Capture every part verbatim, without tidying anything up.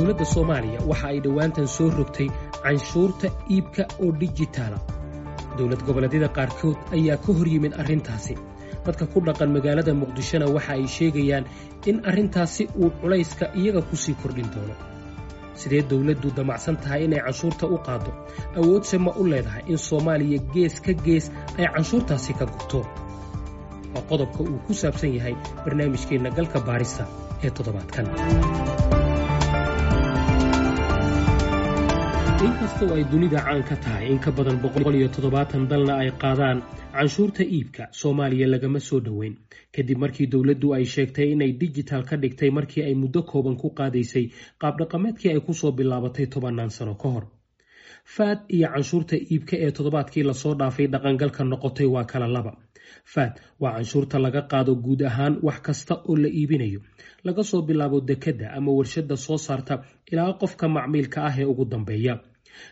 Dowladda Soomaaliya waxa ay dhowaantan soo rogtay canshuurta iibka oo dijitaala. Dowlad goboleedyada qaarkood ayaa ka hor yimid arrintaasi. Dadka ku dhaqan magaalada Muqdishona waxa ay sheegayaan in arrintaasi uu culayska iyaga ku sii kordhin doono. Sidee dowladdu damacsan tahay inay canshuurta u qaaddo? Awoodse ma u leedahay in Soomaaliya gees ka gees ay canshuurtaasi ka gurto? Waa qodobka uu ku saabsan yahay barnaamijkeenna Galka Baarista ee toddobaadkan. Inkastoo ay dunida caan ka tahay, in ka badan boqol iyo toddobaatan dalna ay qaadaan canshuurta iibka, Soomaaliya lagama soo dhoweyn kadib markii dowladdu ay sheegtay inay dijital ka dhigtay markii ay muddo kooban ku qaadaysay qaabdhaqameedkii ay kusoo bilaabatay tobannaan sano ka hor. V A T iyo canshuurta iibka ee toddobaadkii lasoo dhaafay dhaqangalka noqotay waa kala laba. V A T waa canshuurta laga qaado guud ahaan wax kasta oo la iibinayo, laga soo bilaabo dekedda ama warshadda soo saarta ilaa qofka macmiilka ah ee ugu dambeeya.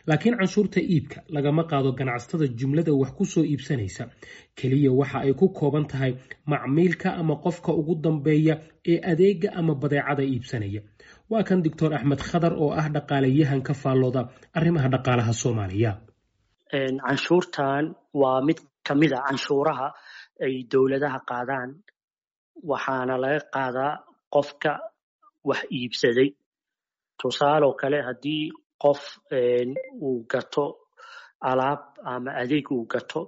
Laakiin canshuurta iibka lagama qaado ganacsatada jumlada wax ku soo iibsanaysa keliya, waxa ay ku kooban tahay macmiilka ama qofka ugu dambeeya ee adeega ama badeecada iibsanaya. Waa kan Doctor Axmed Khadar oo ah dhaqaalayahan ka faallooda arrimaha dhaqaalaha Soomaaliya. Canshuurtan waa mid kamid a canshuuraha ay dowladaha qaadaan, waxaana laga qaadaa qofka wax iibsaday. Tusaaloo kale, haddii qof uu gato alaab ama adeeg uu gato,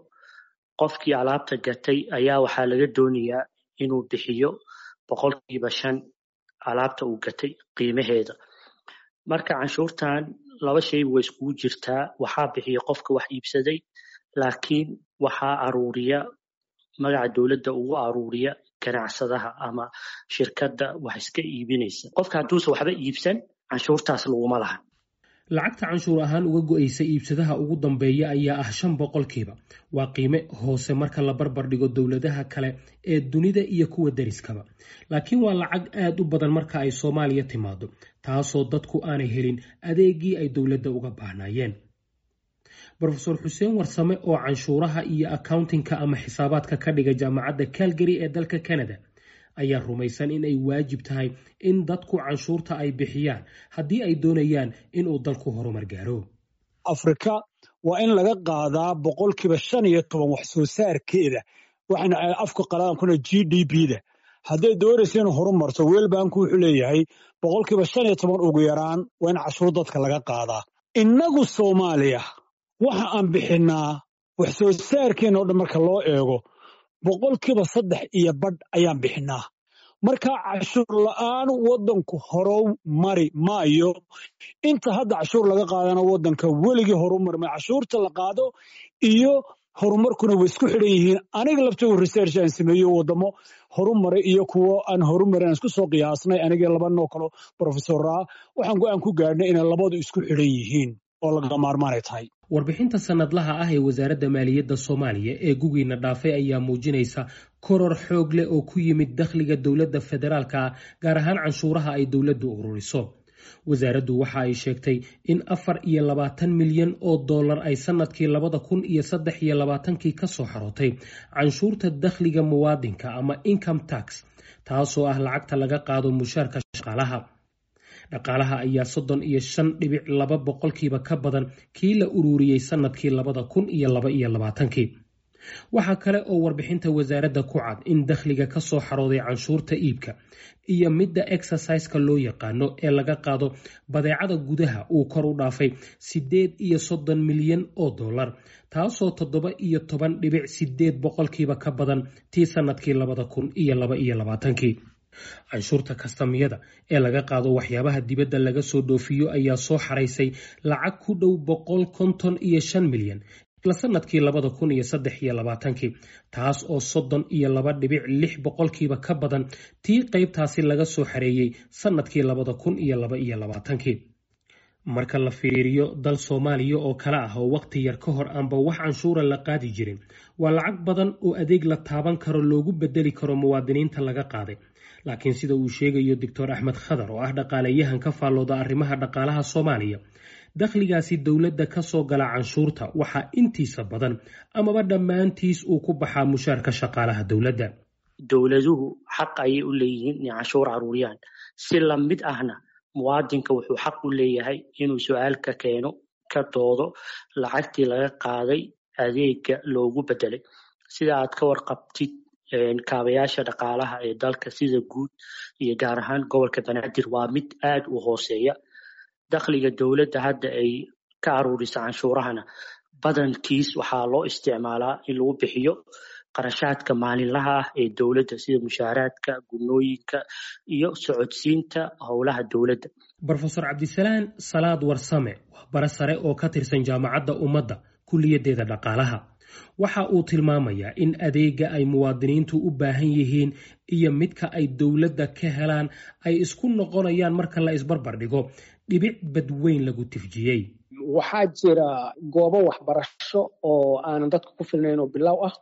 qofkii alaabta gatay ayaa waxaa laga doonayaa inuu bixiyo boqolkiiba shan alaabta uu gatay qiimaheeda. Marka canshuurtan laba shay way iskugu jirtaa: waxaa bixiya qofka wax iibsaday, laakiin waxaa aruuriya, magaca dowladda ugu aruuriya, ganacsadaha ama shirkadda wax iska iibinaysa. Qofka hadduusan waxba iibsan, canshuurtaas laguma laha. Lacagta canshuur ahaan uga go'aysa iibsadaha ugu dambeeya ayaa ah shan boqolkiiba. Waa qiime hoose marka la barbar dhigo dowladaha kale ee dunida iyo kuwa deriskaba, laakiin waa lacag aad u badan marka ay Soomaaliya timaado, taasoo dadku aanay helin adeegii ay dowladda uga baahnaayeen. Brofesor Xuseen Warsame oo canshuuraha iyo accountingka ama xisaabaadka ka dhiga Jaamacadda Calgary ee dalka Canada ayaa rumaysan in ay waajib tahay in dadku canshuurta ay bixiyaan haddii ay doonayaan inuu dalku horumar gaaro. Afrika waa in laga qaadaa boqolkiiba shan iyo toban wax soo saarkeeda, waxayna afka qaladan kuna G D P da. Hadday doonaysa inuu horumarto, World Banku wuxuu leeyahay boqolkiiba shan iyo toban ugu yaraan waa in cashuur dadka laga qaadaa. Innagu Soomaaliya waxa aan bixinnaa wax soo saarkeena oo dhan marka loo eego boqolkiiba saddex iyo badh ayaan bixinnaa. Marka cashuur la'aan waddanku horow mari maayo. Inta hadda cashuur laga qaadana waddanka weligii horu marmay. Cashuurta la qaado iyo horumarkuna way isku xidhan yihiin. Aniga laftooda research aan sameeyo, waddamo horumaray iyo kuwo aan horumarin aan isku soo qiyaasnay, anigii laba noo kalo professoraa, waxaan go'aan ku gaadhnay inay labadu isku xidhan yihiin oo laga maarmaanay tahay. Warbixinta sanadlaha ah ee Wasaaradda Maaliyadda Soomaaliya ee gugiina dhaafay ayaa muujinaysa koror xoog leh oo ku yimid dakhliga dowladda federaalka ah, gaar ahaan canshuuraha ay dowladdu ururiso. Wasaaraddu waxa ay sheegtay in afar iyo labaatan milyan oo dollar ay sanadkii labada kun iyo saddex iyo labaatankii ka soo xarootay canshuurta dakhliga muwaadinka ama income tax, taasoo ah lacagta laga qaado mushaarka shaqaalaha. Dhaqaalaha ayaa soddon iyo shan dhibic laba boqolkiiba ka badan kii la ururiyey sanadkii labada kun iyo laba iyo labaatankii. Waxaa kale oo warbixinta wasaaradda ku cad in dakhliga ka soo xarooday canshuurta iibka iyo midda exciseka loo yaqaano ee laga qaado badeecada gudaha uu kor u dhaafay siddeed iyo soddon milyan oo dollar, taasoo toddoba iyo toban dhibic sideed boqolkiiba ka badan tii sanadkii labada kun iyo laba iyo labaatankii. Canshuurta kastamyada ee laga qaado waxyaabaha dibadda laga soo dhoofiyo ayaa soo xaraysay lacag ku dhow boqol konton iyo shan milyan isla sanadkii labada kun iyo saddex iyo labaatankii, taas oo soddon iyo laba dhibic lix boqolkiiba ka badan tii qaybtaasi laga soo xareeyey sanadkii labada kun iyo laba iyo labaatankii. Marka la fiiriyo dal Soomaaliya oo kale ah oo waqti yar ka hor aanba wax canshuura la qaadi jirin, waa lacag badan oo adeeg la taaban karo loogu bedeli karo muwaadiniinta laga qaaday. Laakiin sida uu sheegayo Doctor Axmed Khadar oo ah dhaqaalayahan ka faallooda arrimaha dhaqaalaha Soomaaliya, dakhligaasi dowladda ka soo gala canshuurta waxaa intiisa badan amaba dhammaantiis uu ku baxaa mushaarka shaqaalaha dowladda. Dowladuhu xaq ayay u leeyihiin inay canshuur aruuriyaan, si lamid ahna Muwaadinka wuxuu xaq u leeyahay inuu su-aal ka keeno, ka doodo lacagtii laga qaaday adeega loogu bedelay. Sida aad ka warqabtid, kaabayaasha dhaqaalaha ee dalka sida guud iyo gaar ahaan gobolka Banaadir waa mid aad u hooseeya. Dakhliga dowladda hadda ay ka aruurisa canshuurahana badankiis waxaa loo isticmaalaa in lagu bixiyo qarashaadka maalinlaha ah ee dowladda, sida mushaaraadka, gunooyinka iyo socodsiinta howlaha dowladda. Brofesor Cabdisalaan Salaad Warsame waa bare sare oo ka tirsan Jaamacadda Ummadda, kuliyaddeeda dhaqaalaha. Waxa uu tilmaamayaa in adeega ay muwaadiniintu u baahan yihiin iyo midka ay dowladda ka helaan ay isku noqonayaan marka la isbarbar dhigo dhibic badweyn lagu tifjiyey. Waxaa jira goobo waxbarasho oo aanan dadka ku filnayn oo bilow ah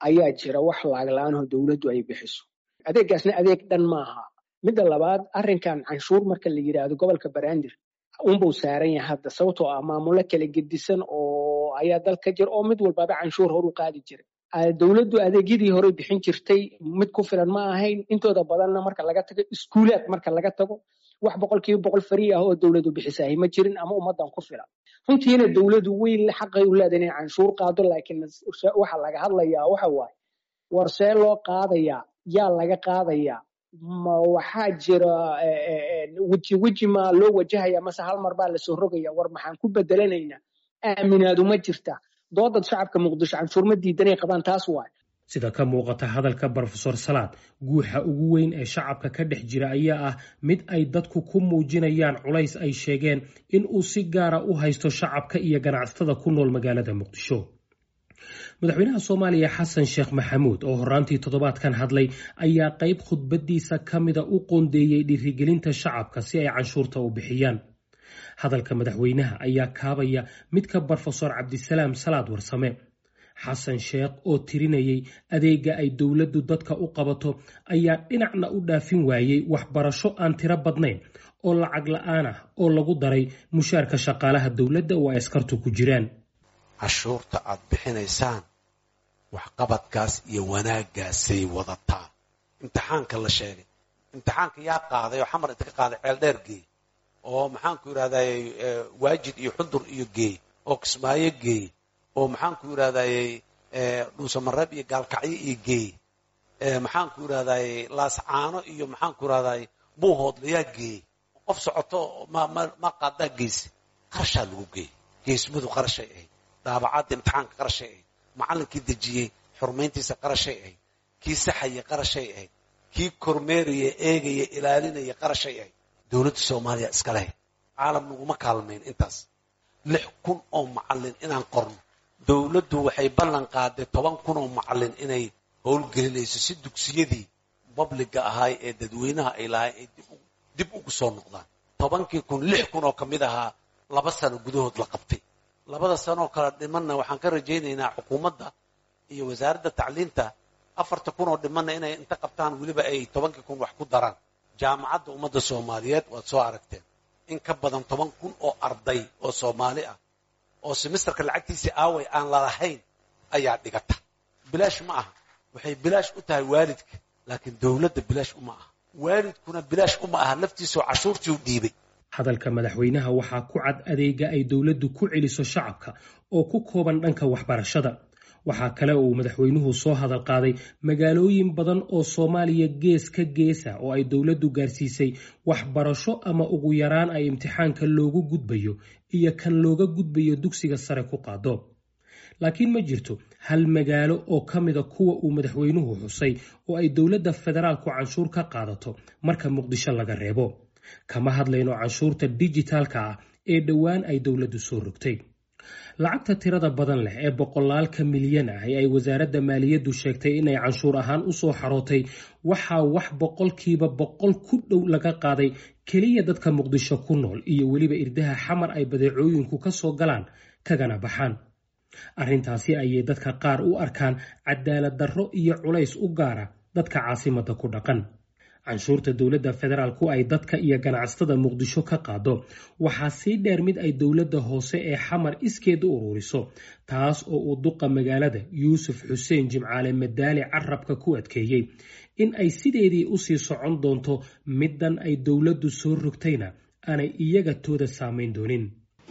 ayaa jira, wax lacag la-aanoo dowladdu ay bixiso. Adeeggaasna adeeg dhan maaha. Midda labaad, arrinkan canshuur marka la yidhaahdo gobolka Banaadir unbuu saaran yahay hadda, sababtoo ah maamulo kala gedisan oo ayaa dalka jira oo mid walbaaba canshuur horu qaadi jiray. Dowladdu adeegyadii hore bixin jirtay mid ku filan ma ahayn intooda badanna. Marka laga tago iskuulaad, marka laga tago wax boqolkiiba boqol free ah oo dowladdu bixisahay ma jirin ama ummadan ku filan. Runtiina dowladdu weyn xaqay u leedahay inay canshuur qaado, laakiin waxa laga hadlayaa waxa waaye, war see loo qaadayaa, yaa laga qaadayaa, ma waxaa jira weji weji ma loo wajahaya mase hal mar baa lasoo rogaya, war maxaan ku bedelanaynaa, aaminaadu ma jirta. Doodad shacabka Muqdisho canshuur ma diidanay qabaan, taas waay. Sida ka muuqata hadalka Brofesor Salaad, guuxa ugu weyn ee shacabka ka dhex jira ayaa ah mid ay dadku ku muujinayaan culays ay sheegeen in uu si gaara u haysto shacabka iyo ganacsatada ku nool magaalada Muqdisho. Madaxweynaha Soomaaliya Xasan Sheekh Maxamuud oo horaantii toddobaadkan hadlay ayaa qayb khudbadiisa ka mida u qoondeeyey dhiirigelinta shacabka si ay canshuurta u bixiyaan. Hadalka madaxweynaha ayaa kaabaya midka Brofesor Cabdisalaam Salaad Warsame. Xasan Sheekh oo tirinayay adeega ay dowladdu dadka u qabato ayaa dhinacna u dhaafin waayey waxbarasho aan tiro badnayn oo lacag la-aan ah oo lagu daray mushaarka shaqaalaha dowladda oo ay askartu ku jiraan. Cashuurta aad bixinaysaan waxqabadkaas iyo wanaaggaasay wadataa. Imtixaanka la sheegay, imtixaanka yaa qaaday oo Xamar inta ka qaaday Ceeldheer geey, oo maxaanku yidhahdaayey Waajid iyo Xundur iyo geey, oo Kismaayo geey, oo maxaanku yidhahdaayey Dhuusamareeb iyo Gaalkacyo iyo geey, maxaanku yidhahdaayey Laascaano iyo maxaanku yidhahdaayey Buuhoodlayaa geey? Qof socoto ma ma ma qaadaa geyse? Qarashaa lagu geeyey. Geesmadu qarashay ahayd, daabacadda imtixaanka qarashay ahayd, macallinkii dejiyey xurmayntiisa qarashay ahayd, kii saxaya qarashay ahayd, kii kormeeraya, eegaya, ilaalinaya qarashay ahayd. Dowladda Soomaaliya iska leh, caalam naguma kaalmayn intaas. Lix kun oo macallin inaan qorno, dowladdu waxay ballan qaaday toban kun oo macallin inay howlgelinayso si dugsiyadii public-ga ahaay ee dadweynaha ay lahay ay dib ugu soo noqdaan. Tobankii kun, lix kun oo ka mid ahaa laba sano gudahood la qabtay. Labada sanoo kale dhimanna waxaan ka rajaynaynaa xukuumadda iyo wasaaradda tacliinta afarta kun oo dhimanna inay inta qabtaan, weliba ay tobankii kun wax ku daraan. Jaamacadda Ummadda Soomaaliyeed waad soo aragteen, in ka badan toban kun oo arday oo Soomaali ah oo semesterka lacagtiisii aaway aan lalahayn ayaa dhigata. Bilaash ma aha. Waxay bilaash u tahay waalidka, laakiin dowladda bilaash uma aha, waalidkuna bilaash uma aha, laftiisoo cashuurtii u dhiibay. Hadalka madaxweynaha waxaa ku cad adeega ay dowladdu ku celiso shacabka oo ku kooban dhanka waxbarashada. Waxaa kale oo uu madaxweynuhu soo hadal qaaday magaalooyin badan oo Soomaaliya gees ka geesa oo ay dowladdu gaarsiisay waxbarasho ama ugu yaraan ay imtixaanka loogu gudbayo iyo kan looga gudbayo dugsiga sare ku qaado. Laakiin ma jirto hal magaalo oo ka mida kuwa uu madaxweynuhu xusay oo ay dowladda federaalku canshuur ka qaadato marka Muqdisho laga reebo. Kama hadlayno canshuurta dijitaalka ah ee dhowaan ay dowladdu soo rogtay. Lacagta tirada badan leh ee boqolaalka milyan ah ee ay wasaaradda maaliyaddu sheegtay inay canshuur ahaan usoo xarootay, waxaa wax boqolkiiba boqol ku dhow laga qaaday keliya dadka Muqdisho ku nool iyo weliba irdaha Xamar ay badeecooyinku ka soo galaan kagana baxaan. Arrintaasi ayay dadka qaar u arkaan cadaalad darro iyo culays u gaara dadka caasimadda ku dhaqan. Canshuurta dowladda federaalku ay dadka iyo ganacsatada Muqdisho ka qaado waxaa sii dheer mid ay dowladda hoose ee Xamar iskeed u ururiso, taas oo uu duqa magaalada Yuusuf Xuseen Jimcaale Madaali carabka ku adkeeyey in ay sideedii usii socon doonto, middan ay dowladdu soo rogtayna Aanay iyaga tooda saamayn doonin.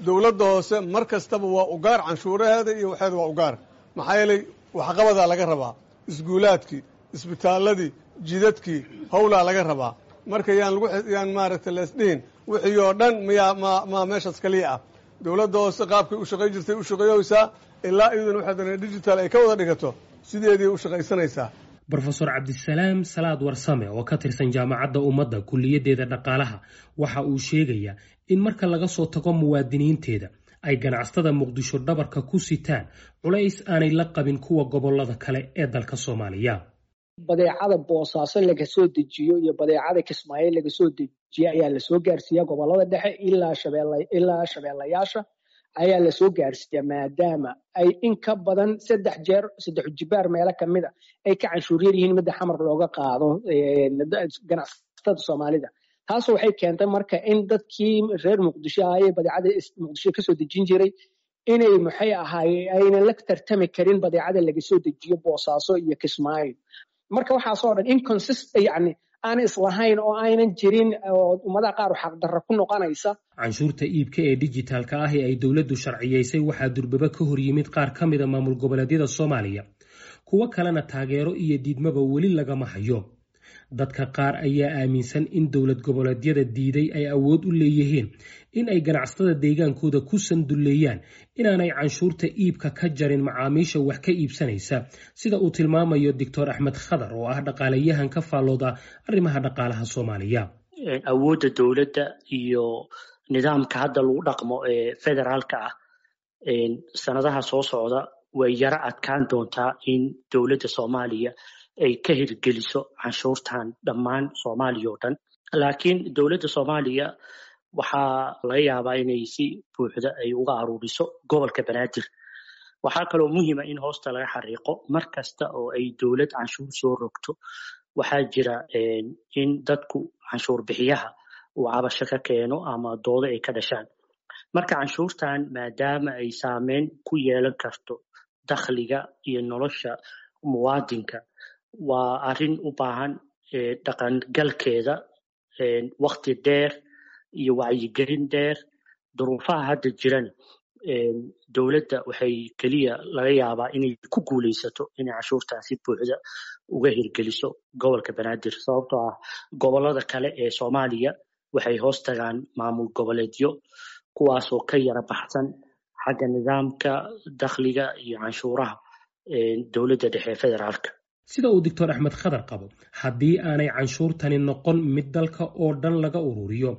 Dowladda hoose mar kastaba waa ugaar, canshuuraheeda iyo waxeeda waa ugaar. Maxaa yeelay, waxqabadaa laga rabaa, iskuulaadkii, isbitaaladii, jidadkii, howlaa laga rabaa. Marka yaan lagu yaan maaragtay leesdhihin wixii oo dhan miyaa ma ma meeshaas kaliya ah. Dowladda hoose qaabkay u shaqayn jirtay u shaqeeyoysaa ilaa iyaduna waxay dooneen digital ay ka wada dhigato, sideedii u shaqaysanaysaa. Brofesor Cabdisalaam Salaad Warsame oo ka tirsan Jaamacadda Ummadda kuliyaddeeda dhaqaalaha waxa uu sheegayaa in marka laga soo tago muwaadiniinteeda, ay ganacsatada Muqdisho dhabarka ku sitaan culays aanay la qabin kuwa gobollada kale ee dalka Soomaaliya. Badeecada Boosaaso laga soo dejiyo iyo badeecada Kismaayo laga soo dejiyo ayaa lasoo gaarsiiyaa gobolada dhexe, ilaa shabeelle, ilaa shabeellayaasha ayaa lasoo gaarsiiyaa, maadaama ay in ka badan saddex jeer, saddex jibaar meelo kamid a ay ka canshuuryar yihiin midda Xamar looga qaado ganacsatada Soomaalida. Taas waxay keentay marka in dadkii reer Muqdisho ahaayee badeecada Muqdisho kasoo dejin jiray inay maxay ahaaye aynan la tartami karin badeecada laga soo dejiyo Boosaaso iyo Kismaayo. Marka waxaasoo dhan inconsist, yani aan islahayn oo aynan jirin oo ummadaha qaar xaqdarra ku noqonaysa. Canshuurta iibka ee dijitaalka ah ee ay dowladdu sharciyeysay waxaa durbaba ka hor yimid qaar ka mida maamul goboleedyada Soomaaliya, kuwo kalena taageero iyo diidmaba weli lagama hayo. Dadka qaar ayaa aaminsan in dowlad goboleedyada diiday ay awood u leeyihiin in ay ganacsatada deegaankooda ku sandulleeyaan inaanay canshuurta iibka ka jarin macaamiisha wax ka iibsanaysa, sida uu tilmaamayo Doctor Axmed Khadar oo ah dhaqaalayahan ka faallooda arrimaha dhaqaalaha Soomaaliya. Awoodda dowladda iyo nidaamka hadda lagu dhaqmo ee federaalka ah, sanadaha soo socda way yaro adkaan doontaa in dowladda Soomaaliya ay ka hirgeliso canshuurtan dhammaan Soomaaliya oo dhan. Laakiin dowladda Soomaaliya waxaa laga yaabaa inay si buuxda ay uga aruuriso gobolka Banaadir. Waxaa kaloo muhiima in hoosta laga xariiqo, mar kasta oo ay dowlad canshuur soo rogto, waxaa jira in dadku canshuur bixiyaha uu cabasho ka keeno ama doodo ay ka dhashaan. Marka canshuurtan, maadaama ay saameyn ku yeelan karto dakhliga iyo nolosha muwaadinka, waa arrin u baahan dhaqangalkeeda wakti dheer iyo wacyigelin dheer. Duruufaha hadda jiran, dowladda waxay keliya laga yaabaa inay ku guuleysato inay canshuurtan si buuxda uga hirgeliso gobolka Banaadir, sababtoo ah gobolada kale ee Soomaaliya waxay hoos tagaan maamul goboleedyo, kuwaasoo ka yara baxsan xagga nidaamka dakhliga iyo canshuuraha dowladda dhexe ee federaalka. Sida uu Doctor Axmed Khadar qabo, haddii aanay canshuurtani noqon mid dalka oo dhan laga ururiyo,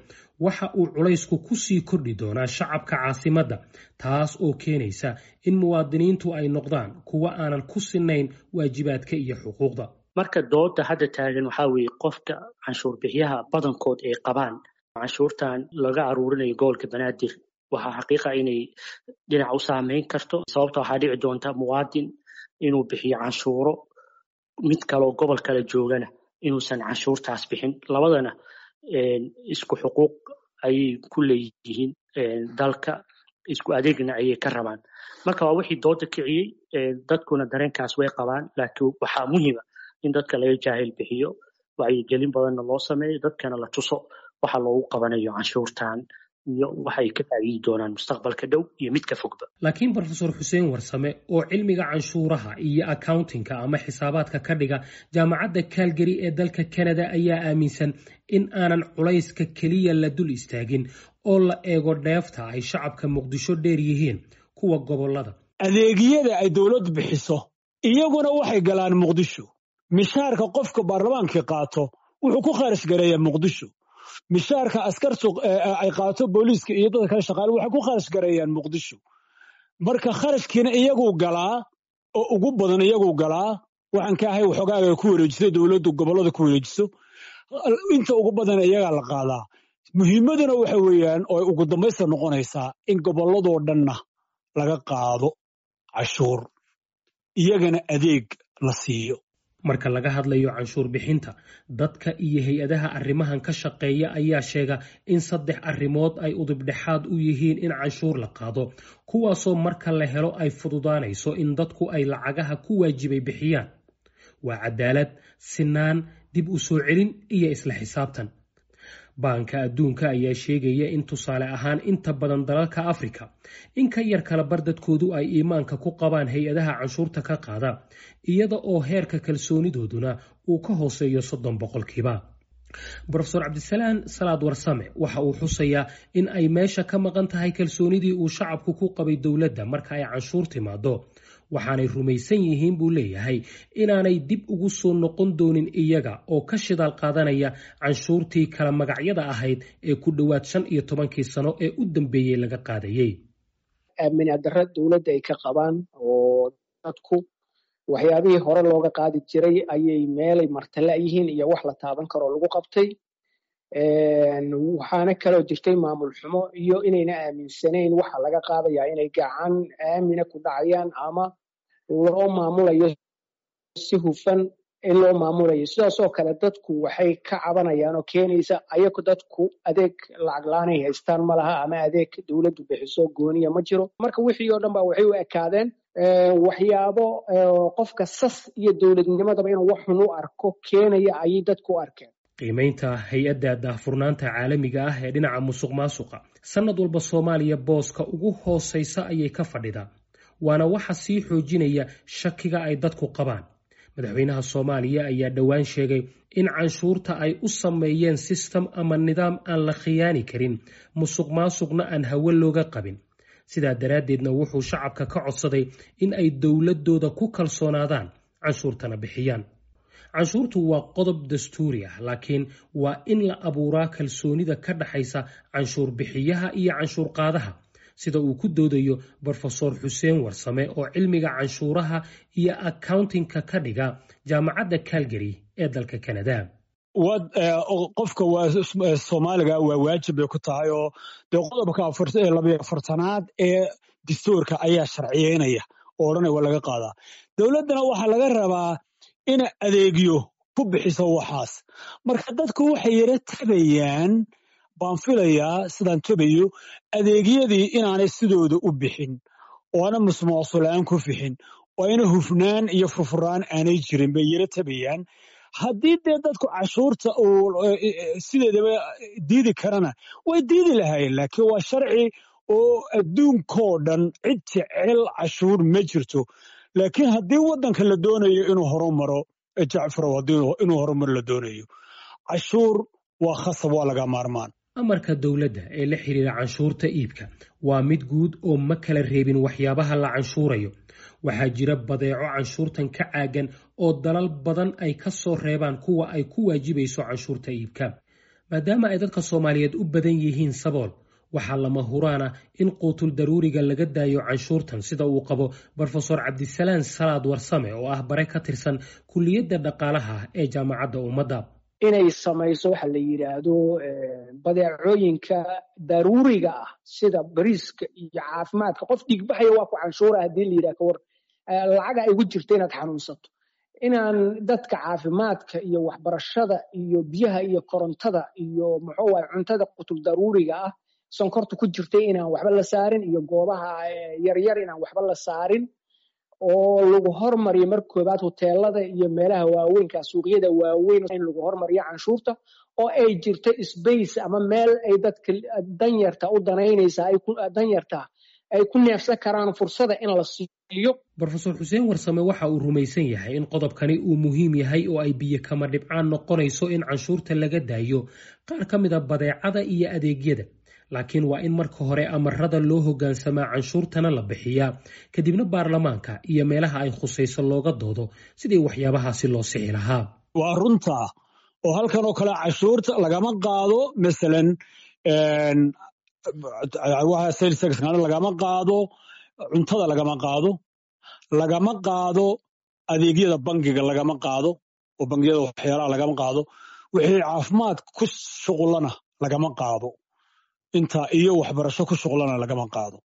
waxa uu culaysku ku sii kordhi doonaa shacabka caasimadda, taas oo keenaysa in muwaadiniintu ay noqdaan kuwo aanan ku sinayn waajibaadka iyo xuquuqda. Marka dooda hadda taagan waxaa weeye, qofka canshuur bixiyaha badankood ay qabaan canshuurtan laga aruurinayo gobolka Banaadir waxaa xaqiiqa inay dhinac u saameyn karto, sababta waxaa dhici doonta muwaadin inuu bixiyo canshuuro, mid kaloo gobol kale joogana inuusan canshuurtaas bixin. Labadana isku xuquuq ayay ku leeyihiin dalka, isku adeegna ayay ka rabaan. Marka waa wixii dooda kiciyey, dadkuna dareenkaas way qabaan. Laakiin waxaa muhiima in dadka laga jaahil bixiyo, wacyigelin badanna loo sameeyo, dadkana la tuso waxa loogu qabanayo canshuurtan iyo waxay ka faa'iidi doonaan mustaqbalka dhow iyo midka fogba. Laakiin Brofesor Xuseen Warsame oo cilmiga canshuuraha iyo accountingka ama xisaabaadka ka dhiga Jaamacadda Calgary ee dalka Canada ayaa aaminsan in aanan culayska keliya la dul istaagin oo la eego dheefta ay shacabka Muqdisho dheer yihiin kuwa gobolada. Adeegyada ay dowladdu bixiso iyaguna waxay galaan Muqdisho. Mishaarka qofka baarlamaankii qaato wuxuu ku kharash gareeyaa Muqdisho. Mishaarka askartu ay qaato, booliiska iyo dadka kale shaqaale, waxay ku kharash gareeyaan Muqdisho. Marka kharashkiina iyaguu galaa oo ugu badan iyaguu galaa. Waxaan ka ahay waxoogaaga ku wareejiso dowladdu gobollada ku wareejiso, inta ugu badan iyagaa la qaadaa. Muhiimaduna waxa weeyaan oo ugu dambaysta noqonaysaa in gobolladoo dhanna laga qaado cashuur, iyagana adeeg la siiyo. Marka laga hadlayo canshuur bixinta, dadka iyo hay-adaha arrimahan ka shaqeeya ayaa sheega in saddex arrimood ay udubdhexaad u yihiin in canshuur la qaado, kuwaasoo marka la helo ay fududaanayso in dadku ay lacagaha ku waajibay bixiyaan: waa cadaalad, sinaan, dib u soo celin iyo isla xisaabtan. Baanka Adduunka ayaa sheegaya in tusaale ahaan inta badan dalalka Afrika in ka yar kala bar dadkoodu ay iimaanka ku qabaan hay-adaha canshuurta ka qaada, iyada oo heerka kalsoonidooduna uu ka hooseeyo soddon boqolkiiba. Brofesor Cabdisalaan Salaad Warsame waxa uu xusayaa in ay meesha ka maqan tahay kalsoonidii uu shacabku ku qabay dowladda marka ay canshuur timaado, waxaanay rumaysan yihiin buu leeyahay inaanay dib ugu soo noqon doonin iyaga oo ka shidaal qaadanaya canshuurtii kala magacyada ahayd ee ku dhowaad shan iyo tobankii sano ee u dambeeyey laga qaadayey. Aaminadarra dowladda ay ka qabaan oo dadku waxyaabihii hore looga qaadi jiray ayay meelay martala yihiin iyo wax la taaban karoo lagu qabtay. Waxaana kaloo jirtay maamul xumo iyo inayna aaminsanayn waxa laga qaadayaa inay gacan aamina ku dhacayaan ama loo maamulayo si hufan in loo maamulayo. Sidaasoo kale dadku waxay ka cabanayaan oo keenaysa ayagu dadku adeeg lacag la-aanay haystaan ma laha ama adeeg dowladdu bixiso gooniya ma jiro. Marka wixii oo dhan ba waxay u ekaadeen waxyaabo qofka sas iyo dowladnimadaba inuu wax xun u arko keenaya ayay dadku u arkeen. Qiimaynta hay-adda daahfurnaanta caalamiga ah ee dhinaca musuq maasuqa sanad walba Soomaaliya booska ugu hooseysa ayay ka fadhidaa, waana waxa sii xoojinaya shakiga ay dadku qabaan. Madaxweynaha Soomaaliya ayaa dhowaan sheegay in canshuurta ay u sameeyeen sistem ama nidaam aan la khiyaani karin, musuq maasuqna aan hawe looga qabin. Sidaa daraaddeedna wuxuu shacabka ka codsaday in ay dowladooda ku kalsoonaadaan, canshuurtana bixiyaan. Canshuurtu waa qodob dastuuri ah, laakiin waa in la abuuraa kalsoonida ka dhaxaysa canshuur bixiyaha iyo canshuur qaadaha, sida uu ku doodayo Brofesor Xuseen Warsame oo cilmiga canshuuraha iyo accountingka ka dhiga Jaamacadda Calgary ee dalka Canada. Qofka Soomaaliga waa waajib bay ku tahay, oo dee qodobka labayo afartanaad ee dastuurka ayaa sharciyeynaya oo odhanaya waa laga qaadaa. Dowladdana waxaa laga rabaa in adeegyo ku bixiso waxaas. Marka dadku waxay yara tabayaan baan filayaa, sidaan tabayo, adeegyadii inaanay sidooda u bixin oo aana musmaasulaan ku fixin oo ayna hufnaan iyo furfuraan aanay jirin bay yara tabayaan. Haddii dee dadku cashuurta uu sideedaba diidi karana way diidi lahaayeen, laakiin waa sharci oo adduunkoo dhan cid jecel cashuur ma jirto. Laakiin haddii waddanka la doonayo inuu horumaro, Jacfarow, haddii inuu horumar la doonayo, cashuur waa khasab, waa laga maarmaan. Amarka dowladda ee la xiriira canshuurta iibka waa mid guud oo ma kala reebin waxyaabaha la canshuurayo. Waxaa jira badeeco canshuurtan ka caagan oo dalal badan ay ka soo reebaan kuwa ay ku waajibayso canshuurta iibka. Maadaama ay dadka Soomaaliyeed u badan yihiin sabool, waxaa lama huraana in quutul daruuriga laga daayo canshuurtan, sida uu qabo Brofesor Cabdisalaan Salaad Warsame oo ah bare ka tirsan kulliyadda dhaqaalaha ee Jaamacadda Ummadda. Inay samayso waxa la yidhaahdo badeecooyinka daruuriga ah sida bariiska iyo caafimaadka. Qof dhiigbaxaya waa ku canshuura haddii la yidhaha kawar lacaga ay ugu jirta inaad xanuunsato. Inaan dadka caafimaadka iyo waxbarashada iyo biyaha iyo korontada iyo muxuu waay cuntada qutul daruuriga ah sonkorta ku jirtay inaan waxba la saarin, iyo goobaha yaryar inaan waxba la saarin, oo lagu hormariyo marka koobaad hoteelada iyo meelaha waaweynka, suuqyada waaweyn in lagu hormariyo canshuurta, oo ay jirto space ama meel ay dadka danyarta u danaynaysa ay ku danyarta ay ku neefsan karaan fursada in la siiyo. Brofesor Xuseen Warsame waxa uu rumaysan yahay in qodobkani uu muhiim yahay oo ay biyo kama dhibcaan noqonayso in canshuurta laga daayo qaar ka mid a badeecada iyo adeegyada, laakiin waa in marka hore amarada loo hoggaansamaa, canshuurtana la bixiyaa, kadibna baarlamaanka iyo meelaha ay khusayso looga doodo sidii waxyaabahaasi loo sixi lahaa. Waa runta oo halkan oo kale cashuurta lagama qaado, masalan lagama qaado cuntada, lagama qaado lagama qaado adeegyada bangiga, lagama qaado oo bangiyada waxyaalaha lagama qaado, wixii caafimaad ku shuqulana lagama qaado, inta iyo waxbarasho ku shuqlana lagama qaado,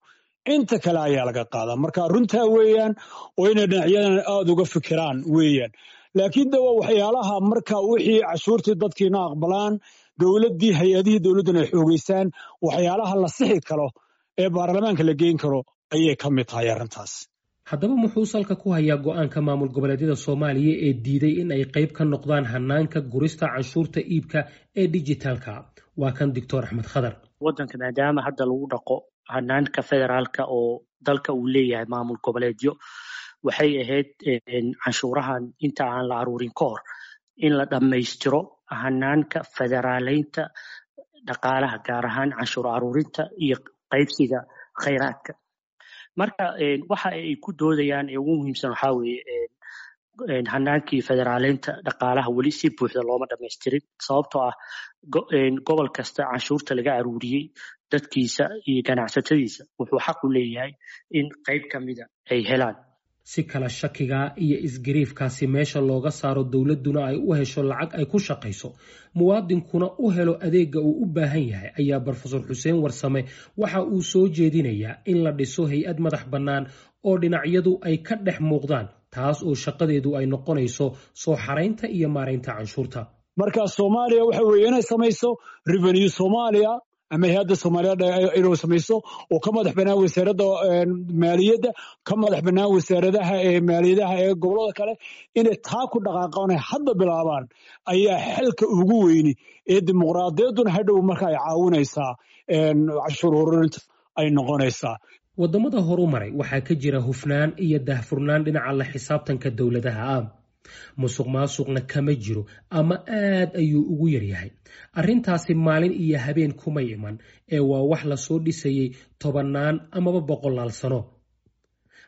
inta kale ayaa laga qaadaa. Marka runtaa weeyaan oo inay dhinacyadan aada uga fikiraan weeyaan. Laakiin de waa waxyaalaha marka wixii cashuurtii dadkiina aqbalaan, dowladdii hay-adihii dowladduna ay xoogeysaan, waxyaalaha la sixi karo ee baarlamaanka la geyn karo ayay ka mid tahay arrintaas. Haddaba muxuu salka ku hayaa go'aanka maamul goboleedyada Soomaaliya ee diiday in ay qayb ka noqdaan hanaanka gurista canshuurta iibka ee dijitaalka? Waa kan Doctor Axmed Khadar. Waddanka maadaama hadda lagu dhaqo hanaanka federaalka oo dalka uu leeyahay maamul goboleedyo, waxay ahayd canshuurahan inta aan la aruurin ka hor in la dhammaystiro hanaanka federaaleynta dhaqaalaha, gaar ahaan canshuur aruurinta iyo qaybsiga khayraadka. Marka waxa ay ku doodayaan ee ugu muhiimsan waxaa weeye hanaankii federaaleynta dhaqaalaha weli si buuxda looma dhamaystirin, sababtoo ah gobol kasta canshuurta laga aruuriyey dadkiisa iyo ganacsatadiisa wuxuu xaq u leeyahay in qayb ka mida ay helaan. Si kala shakiga iyo isgariifkaasi meesha looga saaro, dowladduna ay u hesho lacag ay ku shaqayso, muwaadinkuna u helo adeegga uu u baahan yahay, ayaa Brofesor Xuseen Warsame waxa uu soo jeedinayaa in la dhiso hay-ad madax bannaan oo dhinacyadu ay ka dhex muuqdaan, taas oo shaqadeedu ay noqonayso soo xaraynta iyo maaraynta canshuurta. Marka Soomaaliya waxa weeye inay samayso revenue Soomaaliya ama hay-adda Soomaaliyeed inuu samayso oo ka madax bannaan wasaaradda maaliyadda, ka madax bannaan wasaaradaha ee maaliyadaha ee gobollada kale, inay taa ku dhaqaaqaan ay hadda bilaabaan ayaa xalka ugu weyni ee dimuqraadiyadduna hadhow marka ay caawinaysaa canshuur ururinta ay noqonaysaa. Waddamada horumaray waxaa ka jira hufnaan iyo daahfurnaan dhinaca la xisaabtanka dowladaha ah. Musuq maasuqna kama jiro ama aad ayuu ugu yaryahay. Arrintaasi maalin iyo habeen kumay iman ee waa wax lasoo dhisayey tobannaan amaba boqolaal sano.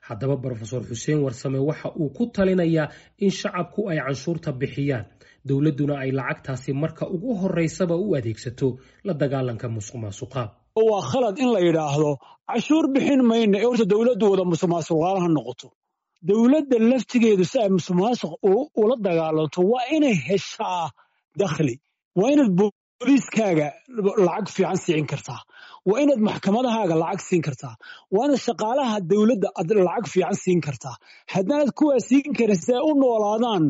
Haddaba Brofesor Xuseen Warsame waxa uu ku talinayaa in shacabku ay canshuurta bixiyaan, dowladduna ay lacagtaasi marka ugu horeysaba u adeegsato la dagaalanka musuq maasuqa. Waa khalad in la yidhaahdo cashuur bixin mayna ee horta dowladdu wada musuq maasuqaalaha noqoto. Dowladda laftigeedu si ay musuqmaasuq ula dagaalanto waa inay heshaa dakhli, waa inaad booliiskaaga lacag fiican siin kartaa, waa inaad maxkamadahaaga lacag siin kartaa, waa inaad shaqaalaha dowladda aad lacag fiican siin kartaa. Haddaanad kuwaa siin karin si ay u noolaadaan,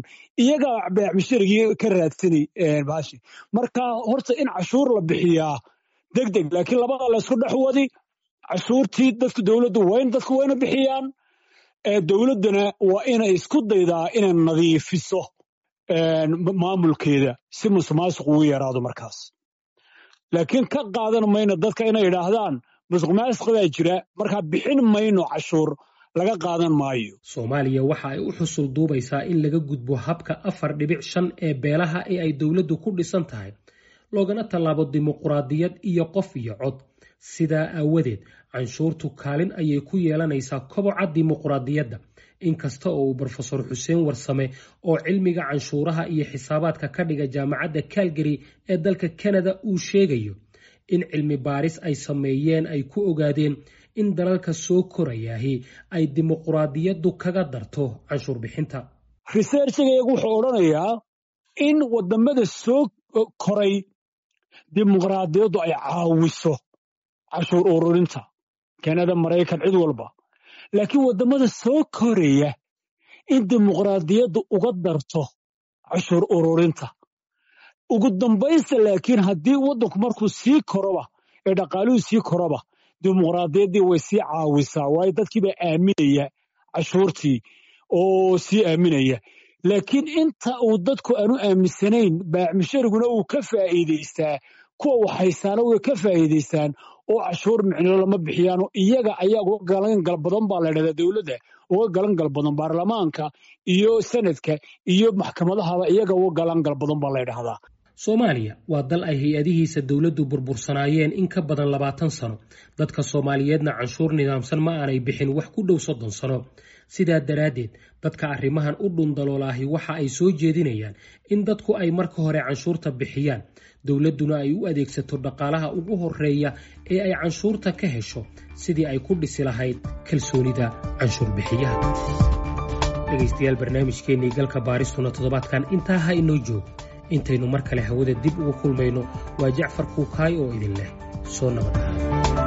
iyagaa beec musharigii ka raadsanay baashi. Marka horta in cashuur la bixiyaa deg deg, laakiin labada la isku dhex wadi cashuurtii dadku dowladdu wayn dadku wayna bixiyaan, dowladduna waa inay isku daydaa inay nadiifiso maamulkeeda si musuqmaasuq ugu yaraado markaas. Laakiin ka qaadan mayno dadka inay yidhaahdaan musuqmaasuq baa jira, markaa bixin mayno cashuur, laga qaadan maayo. Soomaaliya waxa ay u xusul duubaysaa in laga gudbo habka afar dhibic shan ee beelaha ee ay dowladdu ku dhisan tahay, loogana tallaabo dimuqraadiyad iyo qof iyo cod. Sidaa aawadeed canshuurtu kaalin ayay ku yeelanaysaa koboca dimuqraadiyadda. Inkasta oo uu Brofesor Xuseen Warsame oo cilmiga canshuuraha iyo xisaabaadka ka dhiga jaamacadda Calgary ee dalka Canada uu sheegayo in cilmi baaris ay sameeyeen ay ku ogaadeen in dalalka soo korayaahi ay dimuqraadiyaddu kaga darto canshuur bixinta. Researchiga iyagu wuxuu odhanayaa in wadamada soo koray dimuqraadiyaddu ay caawiso cashuur ururinta, Kanada, Maraykan, cid walba. Laakiin waddamada soo koraya in dimuqraadiyaddu uga darto cashuur ururinta. Ugu dambaysta laakiin haddii waddanku markuu sii koroba ee dhaqaaluhu sii koroba, dimuqraadiyaddii way sii caawisaa, waayo dadkii baa aaminaya cashuurtii oo sii aaminaya. Laakiin inta uu dadku aanu aaminsanayn, baacmushariguna uu ka faa'iidaystaa, kuwa waxhaysaana way ka faa'iidaystaan oo cashuur micno lama bixiyaano, iyaga ayaa uga galangal badan baa la dhahdaa dowladda, uga galangal badan baarlamaanka iyo sanadka iyo maxkamadahaba, iyaga uga galangal badan baa la dhahdaa. Soomaaliya waa dal ay hay-adihiisa dowladdu burbursanaayeen in ka badan labaatan sano. Dadka Soomaaliyeedna canshuur nidaamsan ma aanay bixin wax ku dhow soddon sano. Sidaa daraaddeed dadka arrimahan u dhundaloolaahi waxa ay soo jeedinayaan in dadku ay marka hore canshuurta bixiyaan, dowladduna ay u adeegsato dhaqaalaha ugu horeeya ee ay canshuurta ka hesho sidii ay ku dhisi lahayd kalsoonida canshuur bixiyaha. Dhegaystayaal, barnaamijkeennii galka baaristuna toddobaadkan intaa ha inoo joogo. Intaynu mar kale hawada dib ugu kulmayno, waa Jacfar Kuukaay oo idin leh soo nabad ahaada.